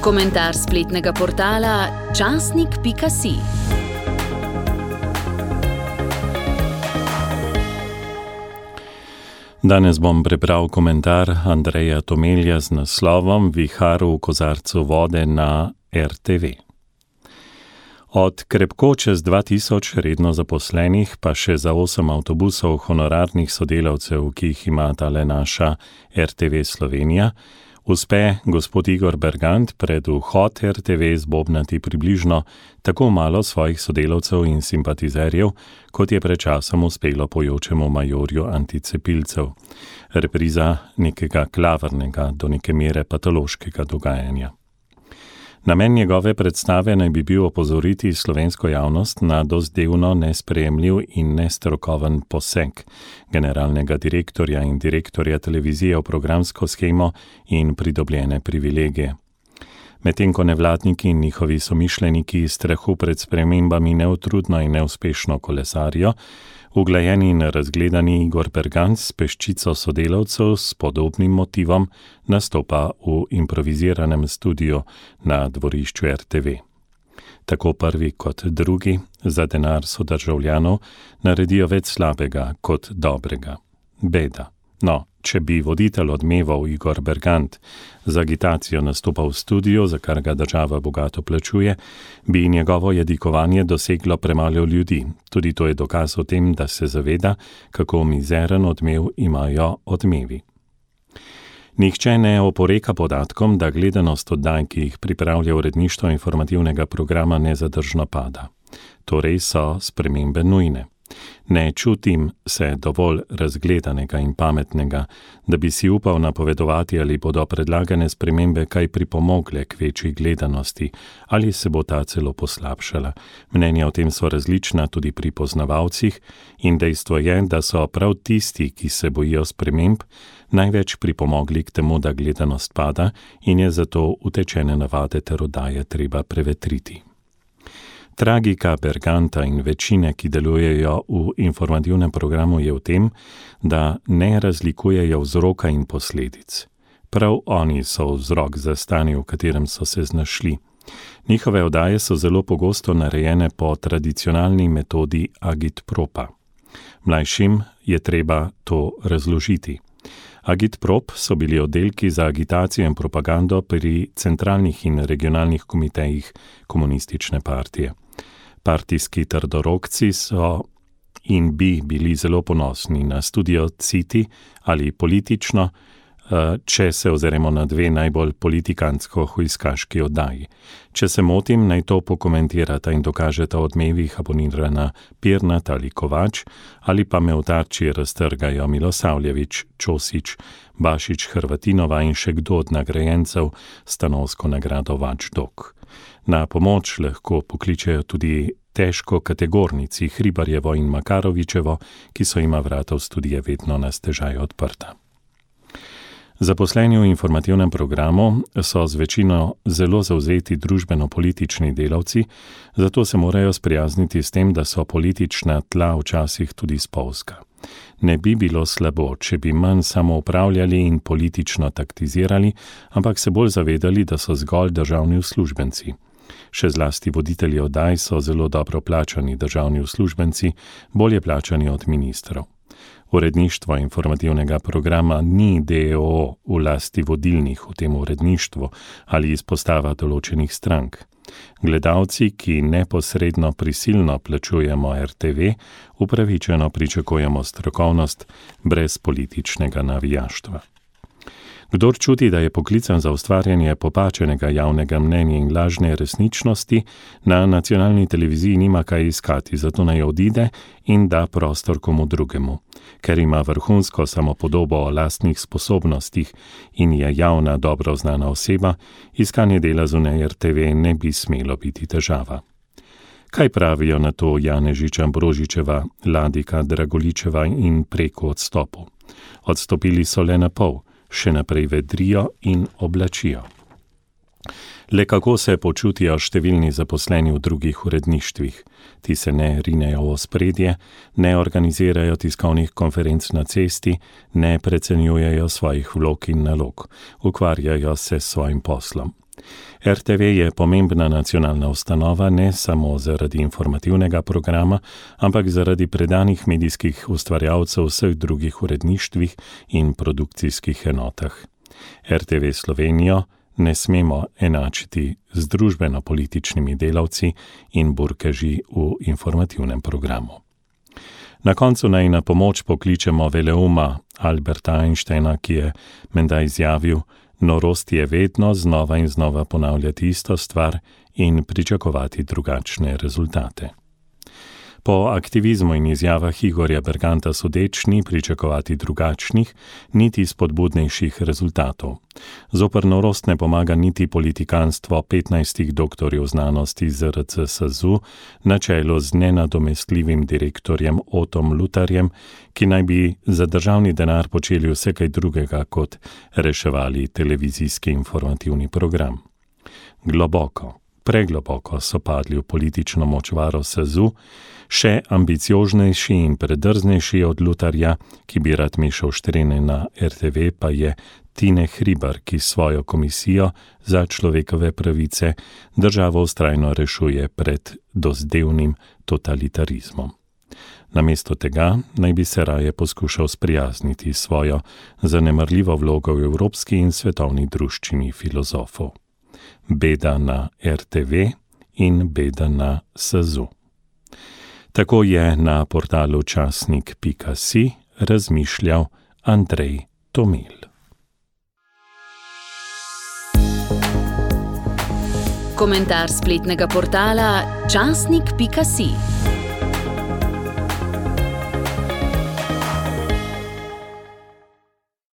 Komentar spletnega portala časnik.si. Danes bom prebral komentar Andreja Tomelja z naslovom Vihar v kozarcu vode na RTV. Od krepko čez 2000 redno zaposlenih, pa še za 8 avtobusov honorarnih sodelavcev, ki jih ima tale naša RTV Slovenija, uspe gospod Igor Bergant pred vhod RTV zbobnati približno tako malo svojih sodelavcev in simpatizerjev, kot je pred časom uspelo pojočemu majorju anticepilcev. Repriza nekega klavrnega, do neke mere patološkega dogajanja. Namen njegove predstave naj bi bil opozoriti slovensko javnost na dozdevno nesprejemljiv in nestrokoven poseg generalnega direktorja in direktorja televizije v programsko shemo in pridobljene privilegije. Medtem ko nevladniki in njihovi somišljeniki iz strahu pred spremembami neutrudno in neuspešno kolesarijo, uglajeni in razgledani Igor Bergant s peščico sodelavcev s podobnim motivom nastopa v improviziranem studiu na dvorišču RTV. Tako prvi kot drugi za denar sodržavljanov naredijo več slabega kot dobrega. Beda. No, če bi voditelj Odmevov Igor Bergant z agitacijo nastopal v studiu, za kar ga država bogato plačuje, bi njegovo jadikovanje doseglo premalo ljudi. Tudi to je dokaz o tem, da se zaveda, kako mizeren odmev imajo Odmevi. Nihče ne oporeka podatkom, da gledanost oddaj, ki jih pripravlja uredništvo informativnega programa, nezadržno pada. Torej so spremembe nujne. Ne čutim se dovolj razgledanega in pametnega, da bi si upal napovedovati, ali bodo predlagane spremembe kaj pripomogle k večji gledanosti, ali se bo ta celo poslabšala. Mnenja o tem so različna tudi pri poznavalcih in dejstvo je, da so prav tisti, ki se bojijo sprememb, največ pripomogli k temu, da gledanost pada in je zato utečene navade ter oddaje treba prevetriti. Tragika Berganta in večine, ki delujejo v informativnem programu, je v tem, da ne razlikujejo vzroka in posledic. Prav oni so vzrok za stanje, v katerem so se znašli. Njihove oddaje so zelo pogosto narejene po tradicionalni metodi agitpropa. Mlajšim je treba to razložiti. Agitprop so bili oddelki za agitacijo in propagando pri centralnih in regionalnih komitejih komunistične partije. Partijski trdorokci so in bi bili zelo ponosni na studio City ali politično, če se ozremo na dve najbolj politikantsko-hujskaški oddaji. Če se motim, naj to pokomentirata in dokažeta Odmevih abonirana Pirnat ali Kovač, ali pa me v tarči raztrgajo Milosavljević, Čosić, Bašić, Hrvatinova in še kdo od nagrajencev stanovsko nagrado Vačdok. Na pomoč lahko pokličejo tudi težko kategornici Hribarjevo in Makarovičevo, ki so ima vrata v studije vedno na stežaj odprta. Zaposleni v informativnem programu so z večino zelo zavzeti družbeno-politični delavci, zato se morajo sprijazniti s tem, da so politična tla včasih tudi spolzka. Ne bi bilo slabo, če bi manj samo upravljali in politično taktizirali, ampak se bolj zavedali, da so zgolj državni uslužbenci. Še zlasti voditelji oddaj so zelo dobro plačani državni uslužbenci, bolje plačani od ministrov. Uredništvo informativnega programa ni d.o.o. v lasti vodilnih v tem uredništvu ali izpostava določenih strank. Gledalci, ki neposredno prisilno plačujemo RTV, upravičeno pričakujemo strokovnost brez političnega navijaštva. Kdor čuti, da je poklican za ustvarjanje popačenega javnega mnenja in lažne resničnosti, na nacionalni televiziji nima kaj iskati, zato naj odide in da prostor komu drugemu. Ker ima vrhunsko samopodobo o lastnih sposobnostih in je javna, dobro znana oseba, iskanje dela zunaj RTV ne bi smelo biti težava. Kaj pravijo na to Janežič, Ambrožičeva, Ladika, Dragoličeva in preko odstopu? Odstopili so le na pol. Še naprej vedrijo in oblačijo. Le kako se počutijo številni zaposleni v drugih uredništvih? Ti se ne rinejo v ospredje, ne organizirajo tiskovnih konferenc na cesti, ne precenjujejo svojih vlog in nalog, ukvarjajo se s svojim poslom. RTV je pomembna nacionalna ustanova ne samo zaradi informativnega programa, ampak zaradi predanih medijskih ustvarjalcev v vseh drugih uredništvih in produkcijskih enotah. RTV Slovenijo ne smemo enačiti z družbeno-političnimi delavci in burkeži v informativnem programu. Na koncu naj na pomoč pokličemo veleuma Alberta Einsteina, ki je menda izjavil: norost je vedno znova in znova ponavljati isto stvar in pričakovati drugačne rezultate. Po aktivizmu in izjavah Igorja Berganta sodeč ni pričakovati drugačnih, niti spodbudnejših rezultatov. Zoper norost ne pomaga niti politikanstvo 15 doktorjev znanosti ZRC SAZU na čelu z nenadomestljivim direktorjem Otom Lutarjem, ki naj bi za državni denar počeli vse kaj drugega kot reševali televizijski informativni program. Pregloboko so padli v politično močvaro SAZU, še ambicioznejši in predrznejši od Lutarja, ki bi rad mešal štrene na RTV, pa je Tine Hribar, ki svojo komisijo za človekove pravice državo vztrajno rešuje pred dozdevnim totalitarizmom. Namesto tega naj bi se raje poskušal sprijazniti svojo zanemarljivo vlogo v evropski in svetovni druščini filozofov. Beda na RTV in beda na SAZU. Tako je na portalu časnik.si razmišljal Andrej Tomelj. Komentar spletnega portala časnik.si.